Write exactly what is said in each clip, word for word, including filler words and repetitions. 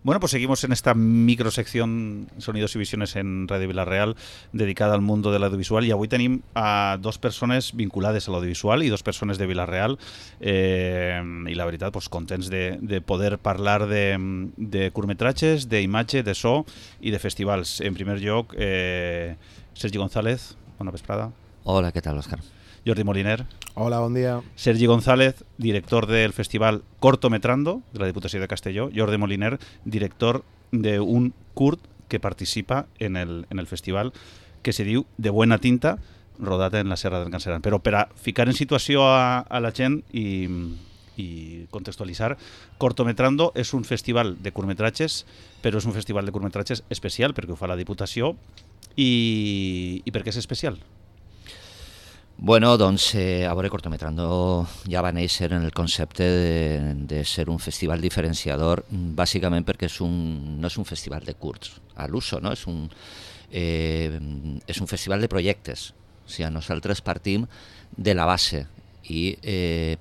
Bueno, pues seguimos en esta microsección Sonidos y Visiones en Radio Vila-real dedicada al mundo de l'audiovisual, i avui tenim a dos persones vinculades a l'audiovisual i dos persones de Vila-real eh, i la veritat, pues, contents de, de poder parlar de, de curtmetratges, d'imatge, de so i de festivals. En primer lloc, eh, Sergi González, bona vesprada. Hola, què tal, Òscar? Jordi Moliner. Hola, bon dia. Sergi González, director del festival Cortometrando de la Diputació de Castelló. Jordi Moliner, director d'un curt que participa en el, en el festival que se diu De Buena Tinta, rodat en la Serra d'en Galceran. Però per a ficar en situació a, a la gent i, i contextualitzar, Cortometrando és un festival de curtmetratges, però és un festival de curtmetratges especial perquè ho fa la Diputació. I, i per què és especial? Bueno, doncs, eh, a veure, Cortometrando ja va néixer en el concepte de, de ser un festival diferenciador, bàsicament perquè és un, no és un festival de curts a l'uso, no? És un, eh, és un festival de projectes. O sigui, nosaltres partim de la base i, eh,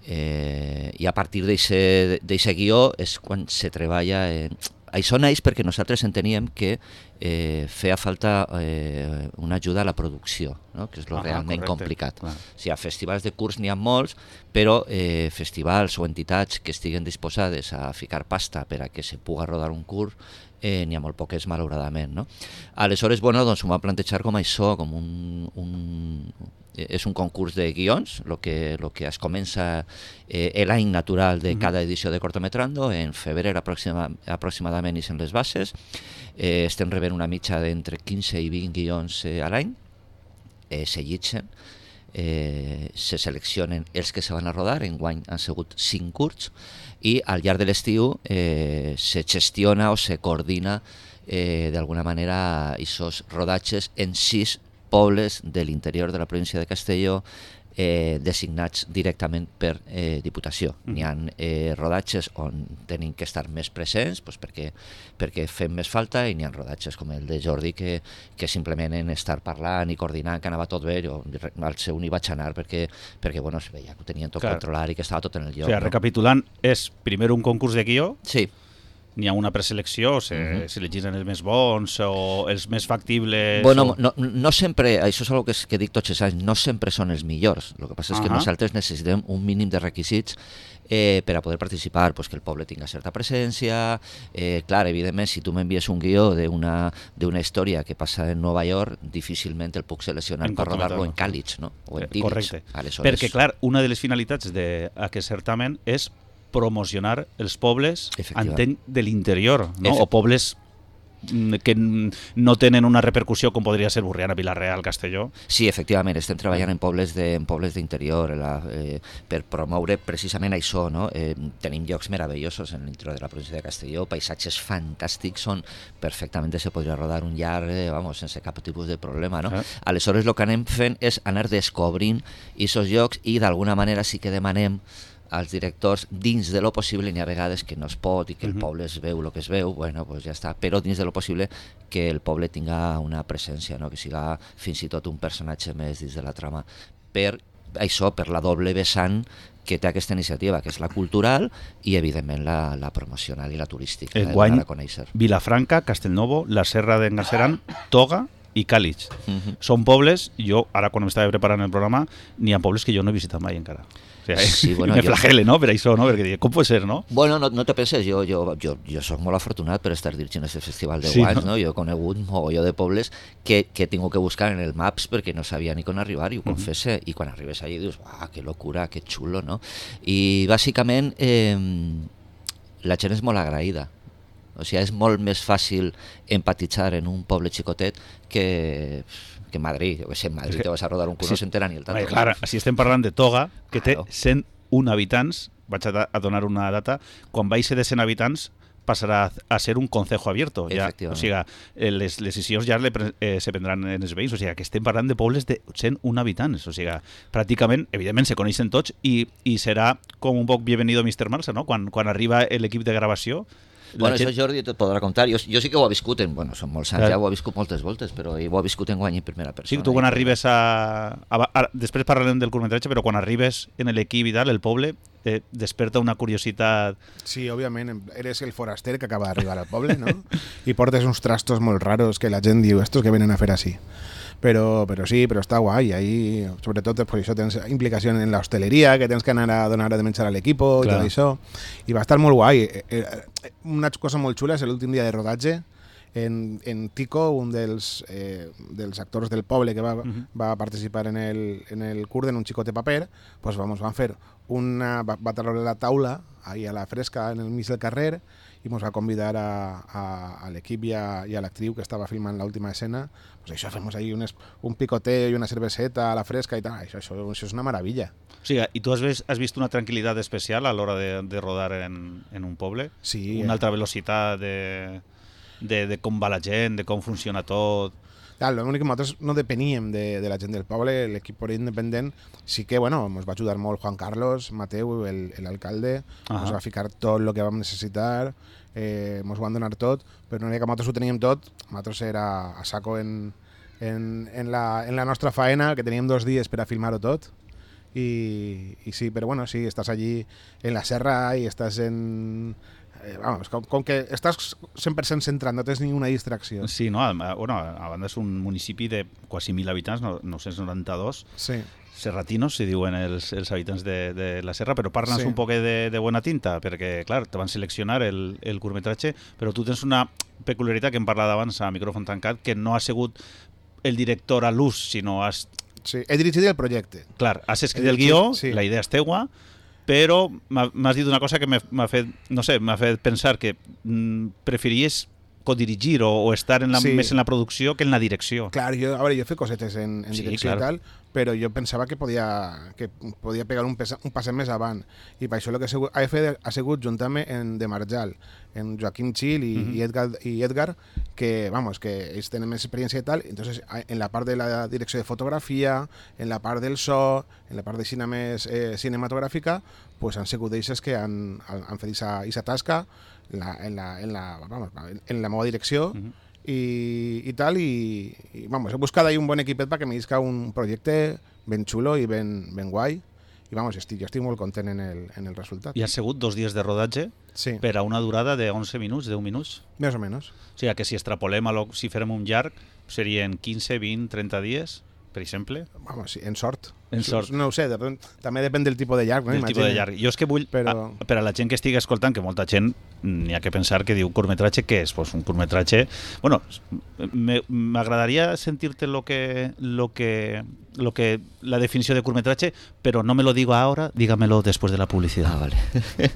eh, i a partir d'aquest guió és quan se treballa... Eh, Això neix perquè nosaltres enteníem que eh, feia falta eh, una ajuda a la producció, no? Que és lo ah, realment correcte. Complicat. Ah. O sigui, a festivals de curs n'hi ha molts, però eh, festivals o entitats que estiguen disposades a ficar pasta per a que se pugui rodar un curs, eh, n'hi ha molt poques, malauradament, no? Aleshores, bueno, doncs ho vam plantejar com això, com un... un és un concurs de guions, el que, lo que es comença eh, l'any natural de cada edició de Cortometrando, en febrer aproxima, aproximadament ixen les bases, eh, estem rebent una mitja d'entre quinze i vint guions eh, a l'any, eh, se llitgen, eh, se seleccionen els que se van a rodar, enguany han sigut cinc curts, i al llarg de l'estiu eh, se gestiona o se coordina eh, d'alguna manera aquests rodatges en sis pobles de l'interior de la província de Castelló eh, designats directament per eh, Diputació. Mm. N'hi ha eh, rodatges on tenim que estar més presents pues, perquè, perquè fem més falta, i n'hi ha rodatges com el de Jordi que, que simplement en estar parlant i coordinant que anava tot bé. Jo al seu n'hi vaig anar perquè, perquè bueno, es veia que ho tenien tot claro. Controlat i que estava tot en el lloc. O sigui, no? Recapitulant, és primer un concurs de guió? Sí. N'hi ha una preselecció, se, uh-huh. se elegeixen els més bons o els més factibles? Bueno, o... no, no sempre, això és una cosa que, que dic tots els anys, no sempre són els millors. El que passa és uh-huh. que nosaltres necessitem un mínim de requisits eh, per a poder participar, pues que el poble tinga certa presència. Eh, clar, evidentment, si tu m'envies un guió d'una d'una història que passa en Nova York, difícilment el puc seleccionar per rodar-lo en Càlig, no? O en Tírig. Correcte. Aleshores... Perquè, clar, una de les finalitats d'aquest certamen és promocionar els pobles, entenc, de l'interior, no? O pobles que no tenen una repercussió com podria ser Borriana, Vila-real, Castelló. Sí, efectivament, estem treballant en pobles de, en pobles d'interior eh, per promoure precisament això, no? Eh, tenim llocs meravellosos en l'interior de la província de Castelló, paisatges fantàstics, on perfectament se podria rodar un llarg, eh, vamos, sense cap tipus de problema, no? Ah. Aleshores, el que anem fent és anar descobrint aquests llocs i d'alguna manera sí que demanem als directors, dins de lo possible, n'hi ha vegades que no es pot i que el uh-huh. poble es veu el que es veu, bueno, pues ja està, però dins de lo possible que el poble tinga una presència, no? Que siga fins i tot un personatge més dins de la trama. Per això, per la doble vessant que té aquesta iniciativa, que és la cultural i, evidentment, la, la promocional i la turística. Enguany, Vilafranca, Castellnovo, la Serra d'en Galceran, Toga i Càlig. Uh-huh. Són pobles, jo, ara quan m'estava preparant el programa, n'hi ha pobles que jo no he visitat mai encara. O sigui, sí, bueno, me flagele, jo... no?, per això, no? Perquè dic, com pot ser, no? Bueno, no, no te penses, jo, jo, jo, jo soc molt afortunat per estar dirigint aquest festival de sí, guants, no? no? Jo he conegut un mogolló de pobles que, que he tingut que buscar en el Maps perquè no sabia ni com arribar, i ho uh-huh. confesse, i quan arribes allà dius, uah, que locura, que xulo, no? I bàsicament eh, la gent és molt agraïda. O sigui, és molt més fàcil empatitzar en un poble xicotet que... que en Madrid, jo que sé, en Madrid te vas a rodar un curs, sí. No s'entera ni el tanto. Clar, si estem parlant de Toga, que té cent un habitants, vaig a, a donar una data, quan vaig ser de cent habitants passarà a ser un concejo abierto. Ja, o sigui, les, les decisions ja le, eh, se prendran en els veïns. O sigui, que estem parlant de pobles de cent un habitants. O sigui, pràcticament, evidentment, se coneixen tots i, i serà com un poc bienvenido mister Marsa, no? Quan, quan arriba l'equip de gravació. Bueno, gent... això Jordi et podrà contar. Jo, jo sí que ho he viscut, en, bueno, són molts anys, ja ho he viscut moltes voltes, però ho he viscut en guany en primera persona. Sí, tu quan arribes a... a, a després parlarem del curtmetratge, però quan arribes en l'equip i tal, el poble, eh, desperta una curiositat. Sí, òbviament, eres el foraster que acaba d'arribar al poble, no? I portes uns trastos molt raros que la gent diu, estos que venen a fer així. Però, però sí, però està guai, ahí, sobretot per això tens implicació en la hosteleria, que tens que anar a donar de menjar a l'equip i tot això, i va estar molt guai. Una cosa molt xula és l'últim dia de rodatge, en, en Tico, un dels, eh, dels actors del poble que va, uh-huh. va participar en el, en el curt en un xicot de paper, pues vamos, van fer una, va, va treure la taula ahí a la fresca en el mig del carrer i ens va convidar a, a, a l'equip i a, i a l'actriu que estava filmant l'última escena, pues això, fem ahí un, un picoteo i una cerveseta a la fresca i tal, això, això, això és una meravella. O sigui, i tu has vist, has vist una tranquil·litat especial a l'hora de, de rodar en, en un poble? Sí. Una altra velocitat de, de, de com va la gent, de com funciona tot... Clar, l'únic que nosaltres no depeníem de, de la gent del poble, l'equip era independent, sí que, bueno, ens va ajudar molt Juan Carlos, Mateu, l'alcalde, ens va ficar tot el que vam necessitar, eh, ens van donar tot, però no era que nosaltres ho teníem tot, nosaltres era a saco en, en, en, la, en la nostra faena, que teníem dos dies per a filmar-ho tot, i, i sí, però bueno, sí, estàs allí en la serra i estàs en... Eh, vamos, com, com que estàs cent per cent centrat, no tens ninguna distracció. Sí, no? A, bueno, a banda és un municipi de quasi mil habitants, nou-cents noranta-dos. Sí. Serratinos, si diuen els, els habitants de, de la serra, però parles sí. un poc de, de bona tinta, perquè, clar, te van seleccionar el, el curtmetratge, però tu tens una peculiaritat que hem parlat abans a micròfon tancat, que no ha sigut el director a l'ús, sinó has... Sí, he dirigit el projecte. Clar, has escrit el guió, sí. La idea és teua, però m'has dit una cosa que m'ha fet, no sé, m'ha fet pensar que mm, preferies codirigir o, o estar en la, sí. més en la producció que en la direcció. Clar, jo, a veure, jo he fet cosetes en, en sí, direcció clar. I tal, però jo pensava que podia, que podia pegar un, pesa, un passet més avant, i per això el que he fet ha sigut juntar-me en De Marjal, en Joaquim Gil i, uh-huh. i, Edgar, i Edgar, que, vamos, que ells tenen més experiència i tal, entonces en la part de la direcció de fotografia, en la part del so, en la part de cine més eh, cinematogràfica, pues han sigut ells que han, han fet aquesta tasca en la, en, la, en, la, vamos, en la meva direcció uh-huh. i, i tal, i, i vamos, he buscat ahí un bon equipet perquè m'isca un projecte ben xulo i ben, ben guai, i vamos, estic, jo estic molt content en el, en el resultat. I han sigut dos dies de rodatge sí. per a una durada de onze minuts, deu minuts? Més o menys. O sigui, que si extrapolem, a lo, si fèrem un llarg, serien quinze, vint, trenta dies, per exemple? Vamos, sí, en sort. En sort. No ho sé, depèn, també depèn del tipus de llarg. No? Del tipus de llarg. Jo és que vull, però... a, per a la gent que estigui escoltant, que molta gent n'hi ha que pensar que diu curtmetratge, què és? Pues un curtmetratge... Bueno, m'agradaria sentir-te lo que, lo que, lo que, la definició de curtmetratge, però no me lo digo ahora, dígamelo después de la publicidad. Ah, vale.